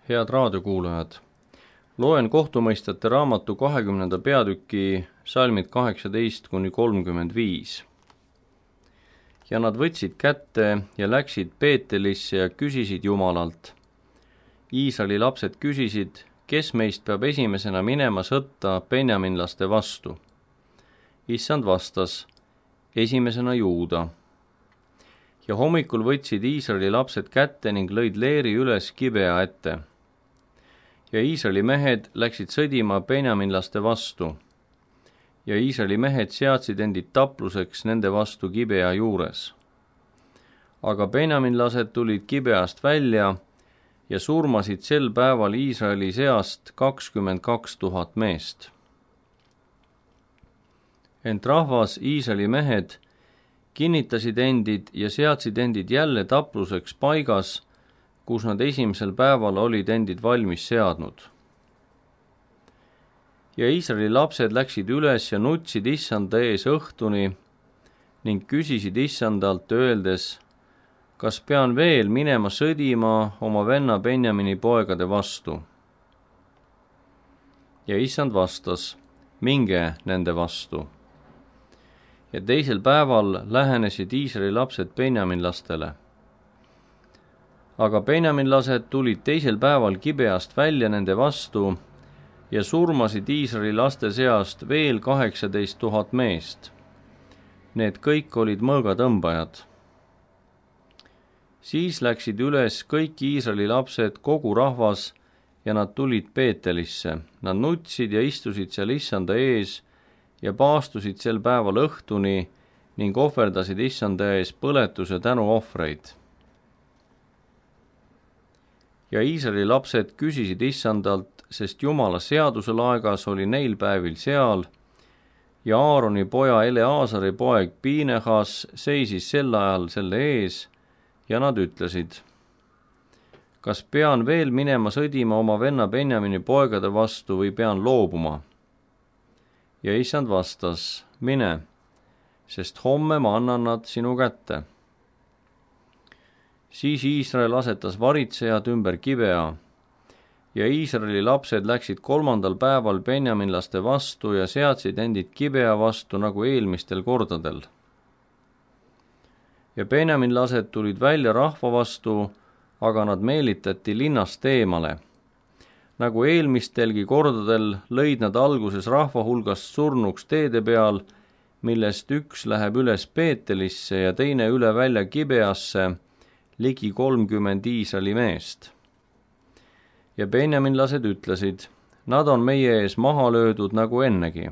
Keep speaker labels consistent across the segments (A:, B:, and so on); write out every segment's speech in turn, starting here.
A: Head raadiokuulajad, loen kohtumõistjate raamatu 20. peatüki salmid 18-35. Ja nad võtsid kätte ja läksid Peetelisse ja küsisid Jumalalt. Iisraeli lapsed küsisid, kes meist peab esimesena minema sõtta benjaminlaste vastu. Issand vastas, esimesena Juuda. Ja hommikul võtsid Iisraeli lapsed kätte ning lõid leeri üles Gibea ette. Ja Iisraeli mehed läksid sõdima benjaminlaste vastu. Ja Iisraeli mehed seadsid endid tapluseks nende vastu Gibea juures. Aga benjaminlased tulid Gibeast välja ja surmasid sel päeval Iisraeli seast 22 000 meest. Ent rahvas Iisraeli mehed kinnitasid endid ja seadsid endid jälle tapluseks paigas, kus nad esimesel päeval olid endid valmis seadnud. Ja Iisraeli lapsed läksid üles ja nutsid Issanda ees õhtuni ning küsisid Issandalt öeldes, kas pean veel minema sõdima oma venna Benjamini poegade vastu? Ja Issand vastas, minge nende vastu. Ja teisel päeval lähenesid Iisraeli lapsed benjaminlastele. Aga benjaminlased tulid teisel päeval Gibeast välja nende vastu ja surmasid Iisraeli laste seast veel 18 000 meest. Need kõik olid mõõgatõmbajad. Siis läksid üles kõik Iisraeli lapsed, kogu rahvas, ja nad tulid Peetelisse. Nad nutsid ja istusid seal Issanda ees ja paastusid sel päeval õhtuni ning ohverdasid Issanda ees põletus- ja tänuohvreid. Ja Iisraeli lapsed küsisid Issandalt, sest Jumala seaduse laegas oli neil päevil seal, ja Aaroni poja Eleazari poeg Piinehas seisis sel ajal selle ees, ja nad ütlesid, kas pean veel minema sõdima oma venna Benjamini poegade vastu või pean loobuma? Ja Issand vastas, mine, sest homme ma annan nad sinu kätte. Siis Iisrael asetas varitsejad ümber Gibea, ja Iisraeli lapsed läksid 3. päeval benjaminlaste vastu ja seadsid endid Gibea vastu nagu eelmistel kordadel. Ja benjaminlased tulid välja rahva vastu, aga nad meelitati linnast eemale. Nagu eelmistelgi kordadel lõid nad alguses rahva hulgast surnuks teede peal, millest üks läheb üles Peetelisse ja teine üle välja Gibeasse, ligi 30 Iisraeli meest. Ja benjaminlased ütlesid, nad on meie ees maha löödud nagu ennegi.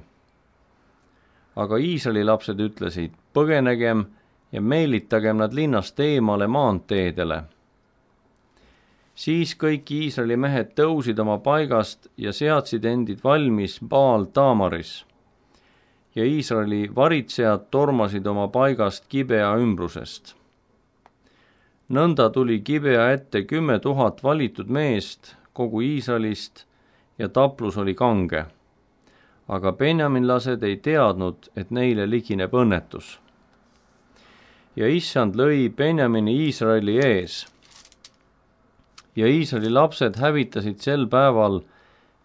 A: Aga Iisraeli lapsed ütlesid, põgenegem ja meelitagem nad linnast eemale maanteedele. Siis kõik Iisraeli mehed tõusid oma paigast ja seadsid endid valmis Baal Taamaris. Ja Iisraeli varitsejad tormasid oma paigast Gibea ümbrusest. Nõnda tuli Gibea ette 10 000 valitud meest kogu Iisraelist ja taplus oli kange. Aga benjaminlased ei teadnud, et neile ligineb õnnetus. Ja Issand lõi Benjamini Iisraeli ees. Ja Iisraeli lapsed hävitasid sel päeval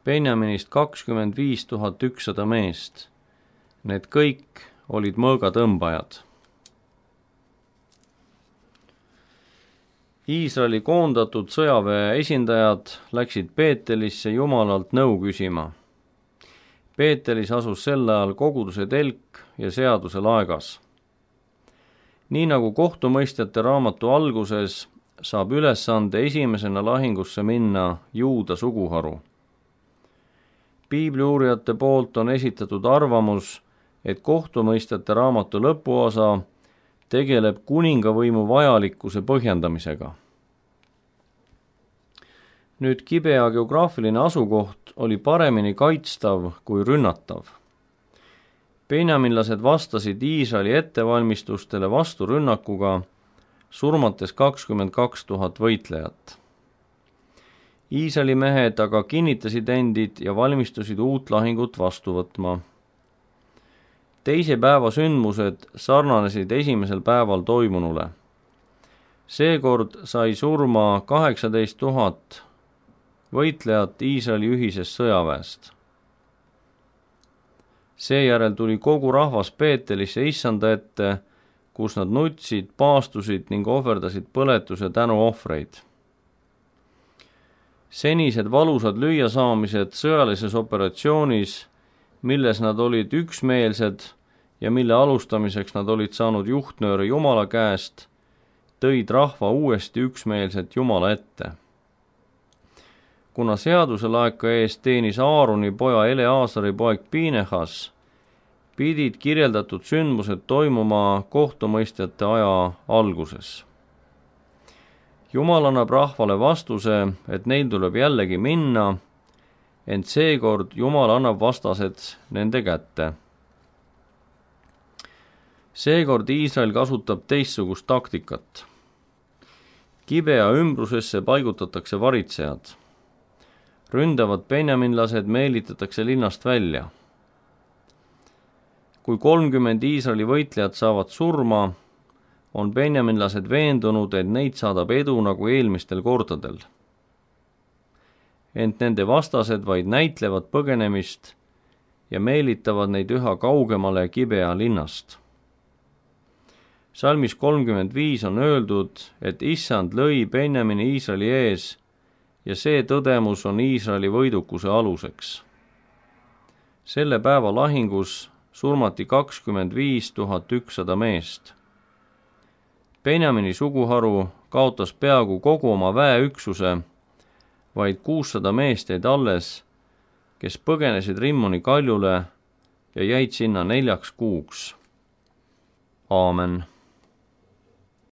A: Benjaminist 25 100 meest. Need kõik olid mõõgatõmbajad. Iisraeli koondatud sõjaväe esindajad läksid Peetelisse Jumalalt nõu küsima. Peetelis asus sel ajal koguduse telk ja seaduse laegas. Nii nagu kohtumõistjate raamatu alguses saab ülesande esimesena lahingusse minna Juuda suguharu. Piibliuurijate poolt on esitatud arvamus, et kohtumõistjate raamatu lõpuosa tegeleb kuningavõimu vajalikkuse põhjendamisega. Nüüd Gibea geograafiline asukoht oli paremini kaitstav kui rünnatav. Benjaminlased vastasid Iisraeli ettevalmistustele vasturünnakuga, surmates 22 000 võitlejat. Iisraeli mehed aga kinnitasid endid ja valmistusid uut lahingut vastu võtma. Teise päeva sündmused sarnanesid esimesel päeval toimunule. Seekord sai surma 18 000 võitlejat Iisraeli ühisest sõjaväest. Seejärel tuli kogu rahvas Peetelisse Issanda ette, kus nad nutsid, paastusid ning ohverdasid põletus- ja tänuohvreid. Senised valusad lüüasaamised sõjalises operatsioonis, milles nad olid üksmeelsed ja mille alustamiseks nad olid saanud juhtnööre Jumala käest, tõid rahva uuesti üksmeelselt Jumala ette. Kuna seaduse laeka eest teenis Aaroni poja Eleazari poeg Pinehas, pidid kirjeldatud sündmused toimuma kohtumõistjate aja alguses. Jumal annab rahvale vastuse, et neil tuleb jällegi minna, ent seekord Jumal annab vastased nende kätte. Seekord Iisrael kasutab teistsugust taktikat. Gibea ümbrusesse paigutatakse varitsejad. Ründavad benjaminlased meelitatakse linnast välja. Kui 30 Iisraeli võitlejad saavad surma, on benjaminlased veendunud, et neid saadab edu nagu eelmistel kordadel. Ent nende vastased vaid näitlevad põgenemist ja meelitavad neid üha kaugemale Gibea linnast. Salmis 35 on öeldud, et Issand lõi Benjamini Iisraeli ees ja see tõdemus on Iisraeli võidukuse aluseks. Selle päeva lahingus surmati 25 100 meest. Benjamini suguharu kaotas peaaegu kogu oma väeüksuse, vaid 600 meest jäid alles, kes põgenesid Rimmoni kaljule ja jäid sinna 4 kuuks. Aamen.